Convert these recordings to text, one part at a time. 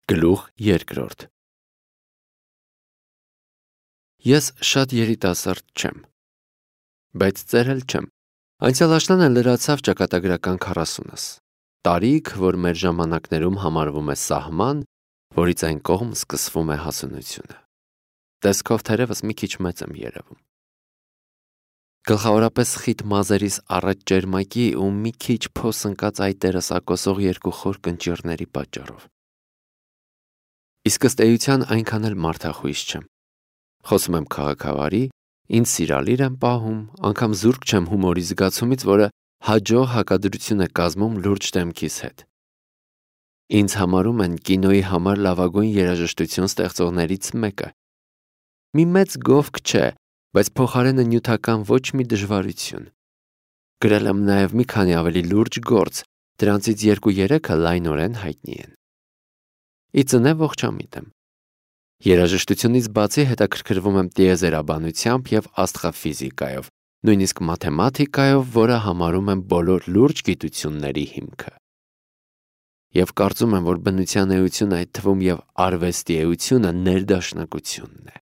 Գլուխ երկրորդ Ես շատ երիտասարդ չեմ, բայց ծերել չեմ։ Անցյալ աշնանը լրացավ ճակատագրական 40-ս, տարիք, որ մեր ժամանակներում համարվում է սահման, որից այն կողմ սկսվում է հասունությունը։ Տեսքով թերևս մի քիչ մեծ եմ երևում։ Գլխավորապես խիտ մազերիս առաջ ճերմակի ու մի քիչ փոս ընկած այտերս ակոսող երկու խոր կնճիռների պատճառով։ Իսկ ըստ էության այնքան էլ մարդախույս չեմ։ Խոսում եմ քաղաքավարի, ինձ սիրալիր եմ պահում, անգամ զուրկ չեմ հումորի զգացումից, որը հաջող հակադրություն է կազմում լուրջ դեմքիս հետ։ Ինձ համարում են կինոյի համար լավագույն երաժշտություն ստեղծողներից մեկը։ Մի մեծ գովք չէ, բայց փոխարենը նյութական ոչ մի դժվարություն։ Գրել եմ նաև մի քանի ավելի լուրջ գործ, դրանցից 2-3-ը լայնորեն հայտնի են։ Ի ծնե ողջամիտ եմ։ Երաժշտությունից բացի հետաքրքրվում եմ տիեզերաբանությամբ և աստղաֆիզիկայով, նույնիսկ մաթեմատիկայով, որը համարում եմ բոլոր լուրջ գիտությունների հիմքը։ Եվ կարծում եմ, որ բնության էությունը, այդ թվում և արվեստի էությունը ներդաշնակությունն է։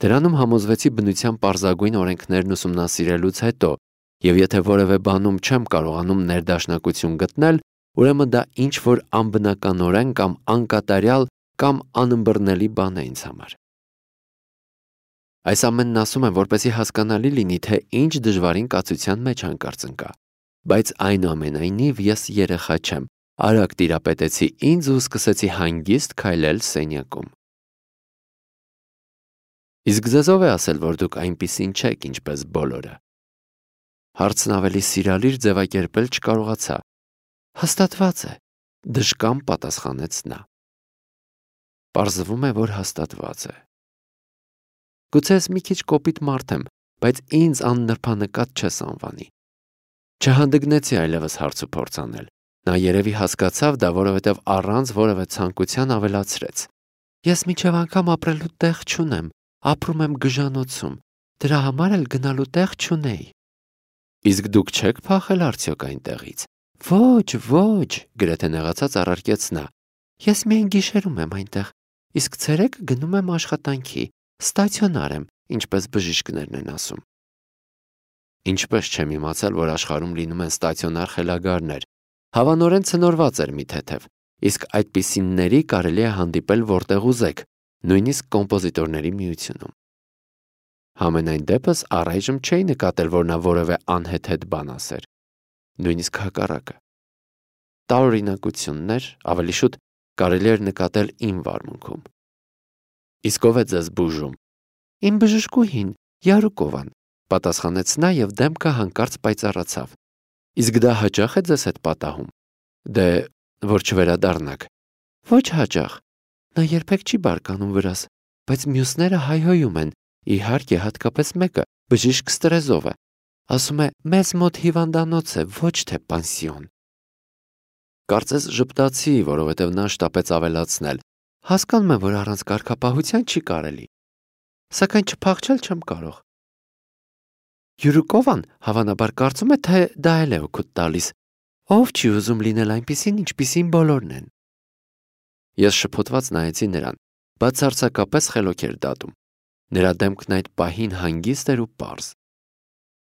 Դրանում համոզվեցի բնության պարզագույն օրենքներն ուսումնասիրելուց հետո, և եթե որևէ բանում չեմ կարողանում ներդաշնակություն գտնել, ուրեմն դա ինչ-որ անբնականորեն կամ անկատարյալ կամ անըմբռնելի բան է ինձ համար։ Այս ամենն ասում եմ, որպեսզի հասկանալի լինի, թե ինչ դժվարին կացության մեջ հանկարծ ընկա, բայց այնուամենայնիվ ես երեխա չեմ, արագ տիրապետեցի ինձ ու սկսեցի հանգիստ քայլել սենյակում։ Իսկ ձեզ ով է ասել, որ դուք այնպիսին չեք, ինչպես բոլորը։ Հարցն ավելի սիրալիր ձևակերպել չկարողացա։ Հաստատված է, դժկամ պատասխանեց նա։ Պարզվում է, որ հաստատված է։ Գուցե ես մի քիչ կոպիտ մարդ եմ, բայց ինձ աննրբանկատ չես անվանի։ Չհանդգնեցի այլևս հարց ու փորձ անել։ Նա երևի հասկացավ դա, որովհետև առանց որևէ ցանկության ավելացրեց։ Ես մինչև անգամ ապրելու տեղ չունեմ, ապրում եմ գժանոցում, դրա համար էլ գնալու տեղ չունեի։ Իսկ դուք չեք փախել արդյոք այնտեղից։ Ոչ, գրեթե նեղացած առարկեց նա։ Ես միայն գիշերում եմ այնտեղ, իսկ ցերեկը գնում եմ աշխատանքի, ստացիոնար եմ, ինչպես բժիշկներն են ասում։ Ինչպես չեմ իմացել, որ աշխարհում լինում են ստացիոնար խելագարներ։ Հավանորեն ցնորված էր մի թեթև, իսկ այդպիսինների կարելի է հանդիպել որտեղ ուզեք, նույնիսկ կոմպոզիտորների միությունում։ Համենայն դեպս առայժմ չէի նկատել, որ նա որևէ անհեթեթ բան ասեր։ Նույնիսկ հակառակը։ Տարօրինակություններ, ավելի շուտ կարելի էր նկատել իմ վարմունքում։ Իսկ ով է ձեզ բուժում։ Իմ բժշկուհին, Յարուկովան, պատասխանեց նա և դեմքը հանկարծ պայծառացավ։ Իսկ դա հաճախ է ձեզ հետ պատահում։ Դե, որ չվերադառնաք։ Ոչ հաճախ։ Նա երբեք չի բարկանում վրաս, բայց մյուսները հայհոյում են, իհարկե հատկապես մեկը, բժիշկ Ստրեզովը։ Ասում է, մեզ մոտ հիվանդանոց է, ոչ թե պանսիոն։ Կարծես ժպտացի, որովհետև նա շտապեց ավելացնել. հասկանում եմ, որ առանց կարգապահության չի կարելի։ Սակայն չփախչել չեմ կարող։ Յուրուկովան հավանաբար կարծում է, թե դա էլ է օգուտ տալիս։ Ով չի ուզում լինել այնպիսին, ինչպիսին բոլորն են։ Ես շփոթված նայեցի նրան, բացարձակապես խելոք էր դատում։ Նրա դեմքն այդ պահին հանգիստ էր ու պարզ։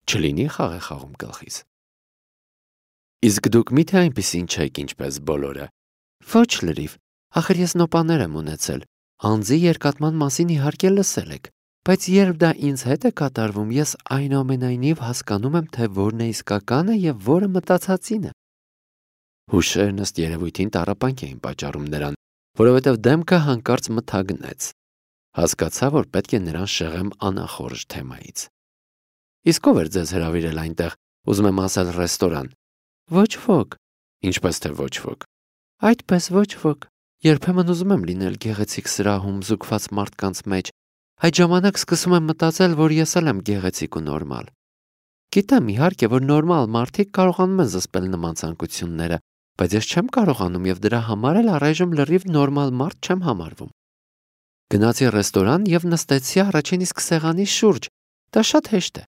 Չլինի խաղ է խաղում գլխիս։ Իսկ դուք միթե այնպիսին չեք, ինչպես բոլորը։ Ոչ լրիվ, ախր ես նոպաներ եմ ունեցել, անձի երկատման մասին իհարկե լսել եք, բայց երբ դա ինձ հետ է կատարվում, ես այնուամենայնիվ հասկանում եմ, թե որն է իսկականը և որը մտածածինը։ Հուշերն ըստ երևույթին տառապանք էին պատճառում նրան, որովհետև դեմքը հանկարծ մթագնեց։ Հասկացա, որ պետք է նրան շեղեմ անախորժ թեմայից։ Իսկ ով էր ձեզ հրավիրել այնտեղ, ուզում եմ ասել ռեստորան։ Ոչ ոք։ Ինչպես թե ոչ ոք։ Այդպես ոչ ոք։ Երբեմն ուզում եմ լինել գեղեցիկ սրահում զուգված մարդկանց մեջ։ Այդ ժամանակ սկսում եմ մտածել, որ ես էլ եմ գեղեցիկ ու նորմալ։ Գիտեմ, իհարկե, որ նորմալ մարդիկ կարողանում են զսպել նման ցանկությունները, բայց ես չեմ կարողանում և դրա համար էլ առայժմ լրիվ նորմալ մարդ չեմ համարվում։ Գնացի ռեստորան և նստեցի առաջին իսկ սեղանի շուրջ։ Դա շատ հեշտ է։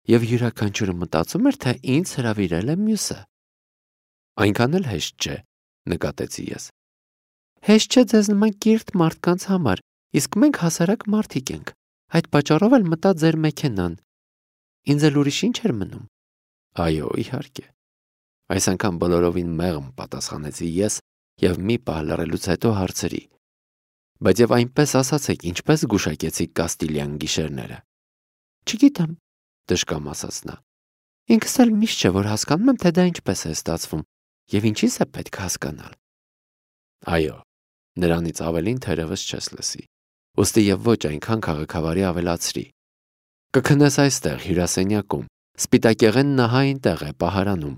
Եվ յուրաքանչյուրը մտածում էր, թե ինձ հրավիրել է մյուսը։ Այնքան էլ հեշտ չէ, նկատեցի ես։ Հեշտ չէ ձեզ նման կիրթ մարդկանց համար, իսկ մենք հասարակ մարդիկ ենք։ Այդ պատճառով էլ մտա ձեր մեքենան։ Ինձ էլ ուրիշ ինչ էր մնում։ Այո, իհարկե։ Այս անգամ բոլորովին մեղմ պատասխանեցի ես եւ մի պահ լռելուց հետո հարցրի. բայց եւ այնպես ասացեք, ինչպես գուշակեցիք Կաստիլյան գիշերները։ Չգիտեմ, դժկամ ասաց նա։ Ինքս էլ միշտ չէ որ հասկանում եմ, թե դա ինչպես է ստացվում եւ ինչից է պետք հասկանալ։ Այո, նրանից ավելին թերևս չես լսի։ Ոստի եւ ոչ այնքան քաղաքավարի ավելացրի։ Կքնես այստեղ հյուրասենյակում, սպիտակեղեն նահային տեղ է պահարանում։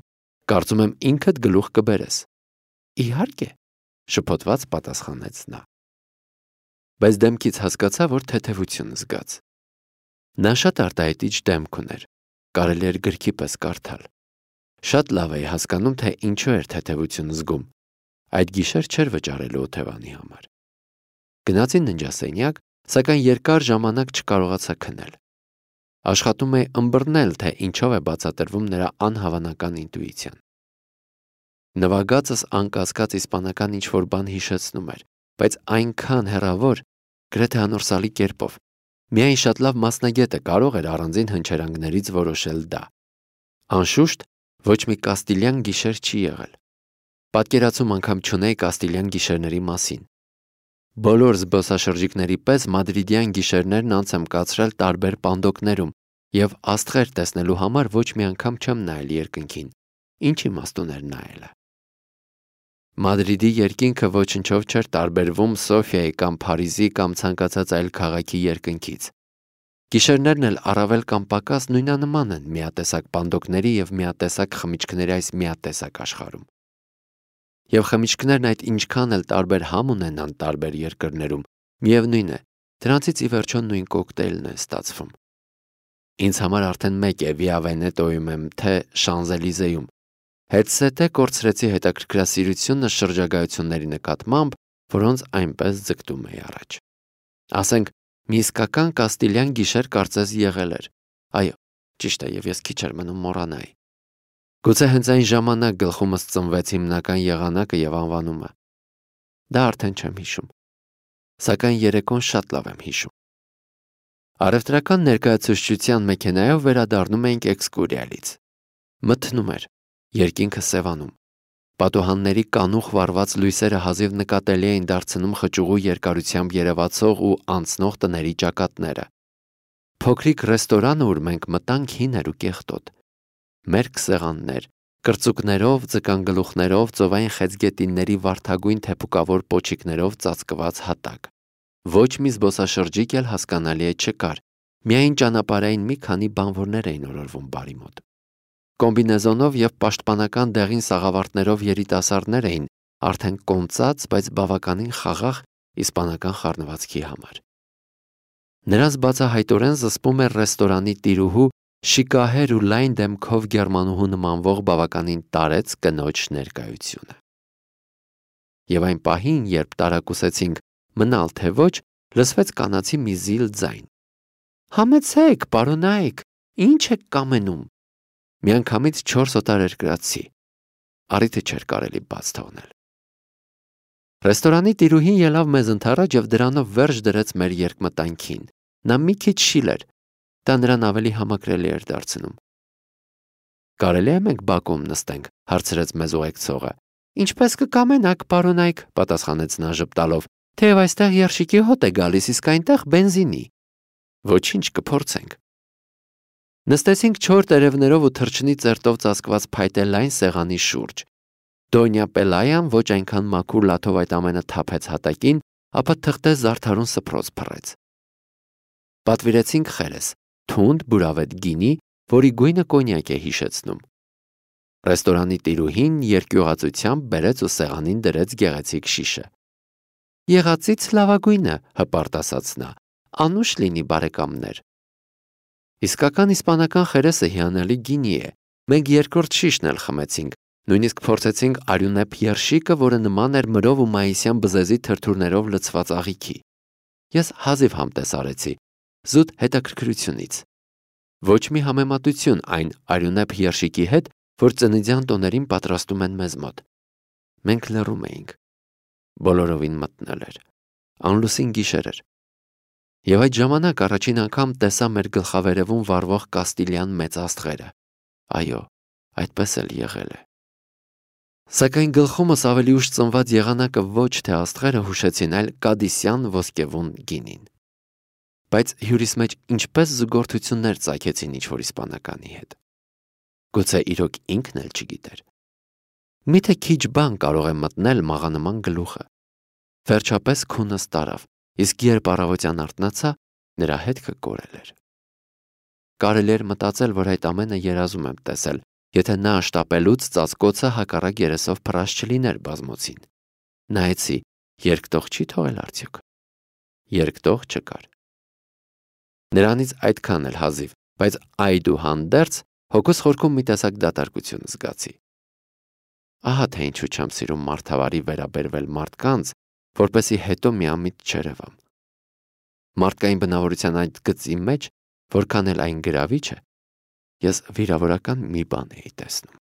Կարծում եմ ինքդ գլուխ կբերես։ Իհարկե, շփոթված պատասխանեց նա։ Բայց դեմքից հասկացա, որ թեթևություն զգաց։ Նա շատ արտահայտիչ դեմք ուներ, կարելի էր գրքի պես կարդալ։ Շատ լավ էի հասկանում, թե ինչու էր թեթևություն զգում։ Այդ գիշեր չէր վճարելու օթևանի համար։ Գնացի ննջասենյակ, սակայն երկար ժամանակ չկարողացա քնել։ Աշխատում էի ըմբռնել, թե ինչով է բացատրվում նրա անհավանական ինտուիցիան։ Նվագածս անկասկած իսպանական ինչ-որ բան հիշեցնում էր, բայց այնքան հեռավոր, գրեթե անորսալի կերպով։ Միայն շատ լավ մասնագետը կարող էր առանձին հնչերանգներից որոշել դա։ Անշուշտ, ոչ մի կաստիլյան գիշեր չի եղել։ Պատկերացում անգամ չունեի կաստիլյան գիշերների մասին։ Բոլոր զբոսաշրջիկների պես մադրիդյան գիշերներն անց եմ կացրել տարբեր պանդոկներում եւ աստղեր տեսնելու համար ոչ մի անգամ չեմ նայել երկնքին։ Ինչ իմաստ ուներ նայելը։ Մադրիդի երկինքը ոչնչով չէր տարբերվում Սոֆիայի կամ Փարիզի կամ ցանկացած այլ քաղաքի երկնքից։ Գիշերներն էլ առավել կամ պակաս նույնանման են միատեսակ պանդոկների եւ միատեսակ խմիչքների այս միատեսակ աշխարհում։ Եվ խմիչքներն այդ ինչքան էլ տարբեր համ ունենան տարբեր երկրներում, միևնույն է, դրանցից ի վերջո նույն կոկտեյլն է ստացվում։ Ինձ համար արդեն մեկ է Վիա Վենետոյում եմ, թե Շանզելիզեում։ Հետսետե կորցրեցի հետաքրքրասիրությունը շրջագայությունների նկատմամբ, որոնց այնպես ձգտում էի առաջ։ Ասենք, մի իսկական կաստիլյան գիշեր կարծես եղել էր։ Այո, ճիշտ է, եւ ես քիչ էր մնում մոռանայի։ Գուցե հենց այն ժամանակ գլխումս ծնվեց հիմնական եղանակը եւ անվանումը։ Դա արդեն չեմ հիշում։ Սակայն երեկոն շատ լավ եմ հիշում։ Առևտրական ներկայացուցչության մեքենայով վերադառնում էինք էքսկուրիալից։ Մթնում էր, երկինքը սևանում։ Պատուհանների կանուխ վառված լույսերը հազիվ նկատելի էին դարձնում խճուղու երկարությամբ երևացող ու անցնող տների ճակատները։ Փոքրիկ ռեստորանը, ուր մենք մտանք, հին էր ու կեղտոտ։ Մերկ սեղաններ, կրծուկներով, ձկանգլուխներով, ծովային խեցգետինների վարդագույն թեփուկավոր պոչիկներով ծածկված հատակ։ Ոչ մի զբոսաշրջիկ էլ հասկանալի է չկար, միայն ճանապարհային մի քանի բանվորներ էին օրորվում բարի մոտ։ Կոմբինեզոնով եւ պաշտպանական դեղին սաղավարտներով երիտասարդներ էին, արդեն կոնծած, բայց բավականին խաղաղ իսպանական խառնվածքի համար։ Նրանց բացահայտորեն զսպում էր ռեստորանի տիրուհու շիկահեր ու լայն դեմքով գերմանուհու նմանվող բավականին տարեց կնոջ ներկայությունը։ Եվ այն պահին, երբ տարակուսեցինք մնալ թե ոչ, լսվեց կանացի մի զիլ ձայն։ Համեցեք, պարոնայք, ինչ եք կամենում։ Միանգամից 4 օտար երկրացի։ Առիթը չէր կարելի բաց թողնել։ Ռեստորանի տիրուհին ելավ մեզ ընդառաջ եւ դրանով վերջ դրեց մեր երկմտանքին։ Նա մի քիչ շիլ էր, դա նրան ավելի համակրելի էր դարձնում։ Կարելի է մենք բակում նստենք, հարցրեց մեզ ուղեկցողը։ Ինչպես կկամենաք, պարոնայք, պատասխանեց նա ժպտալով, թեև այստեղ երշիկի հոտ է գալիս, իսկ այնտեղ բենզինի։ Ոչինչ, կփորձենք։ Նստեցինք 4 տերևներով ու թռչնի ծերտով ծածկված փայտե լայն սեղանի շուրջ։ Դոնյա Պելայան ոչ այնքան մաքուր լաթով այդ ամենը թափեց հատակին, ապա թղթե զարդարուն սփռոց փռեց։ Պատվիրեցինք խերես, թունդ բուրավետ գինի, որի գույնը կոնյակ է հիշեցնում։ Ռեստորանի տիրուհին երկյուղածությամբ բերեց ու սեղանին դրեց գեղեցիկ շիշը։ Եղածից լավագույնը, հպարտ ասաց նա, անուշ լինի բարեկամներ։ Իսկական իսպանական խերեսը հիանալի գինի է։ Մենք երկրորդ շիշն էլ խմեցինք, նույնիսկ փորձեցինք արյունեփ երշիկը, որը նման էր մրով ու մայիսյան բզեզի թրթուրներով լցված աղիքի։ Ես հազիվ համտես արեցի, զուտ հետաքրքրությունից։ Ոչ մի համեմատություն այն արյունեփ երշիկի հետ, որ ծննդյան տոներին պատրաստում են մեզ մոտ։ Մենք լռում էինք։ բոլորովին մտնել էր։ Անլուսին գիշեր էր։ Եվ այդ ժամանակ առաջին անգամ տեսա մեր գլխավերևում վառվող կաստիլյան մեծ աստղերը։ Այո, այդպես էլ եղել է։ Սակայն գլխումս ավելի ուշ ծնված եղանակը ոչ թե աստղերը հուշեցին, այլ կադիսյան ոսկևուն գինին։ Բայց հյուրիս մեջ ինչպես զուգորդություններ ծագեցին ինչ-որ իսպանականի հետ։ Գուցե իրոք ինքն էլ չգիտեր։ Միթե քիչ բան կարող է մտնել մաղանման գլուխը։ Վերջապես քունս տարավ, իսկ երբ առավոտյան արթնացա, նրա հետքը կորել էր։ Կարելի էր մտածել, որ այդ ամենը երազում եմ տեսել, եթե նա շտապելուց ծածկոցը հակառակ երեսով փռած չլիներ բազմոցին։ Նայեցի, երկտող չի թողել արդյոք։ Երկտող չկար։ Նրանից այդքան էլ հազիվ, բայց այդուհանդերձ հոգուս խորքում մի տեսակ դատարկություն զգացի։ Ահա թե ինչու չեմ սիրում մարդավարի վերաբերվել մարդկանց, որպեսզի հետո միամիտ չերևամ։ Մարդկային բնավորության այդ գծի մեջ, որքան էլ այն գրավիչ է, ես վիրավորական մի բան էի տեսնում։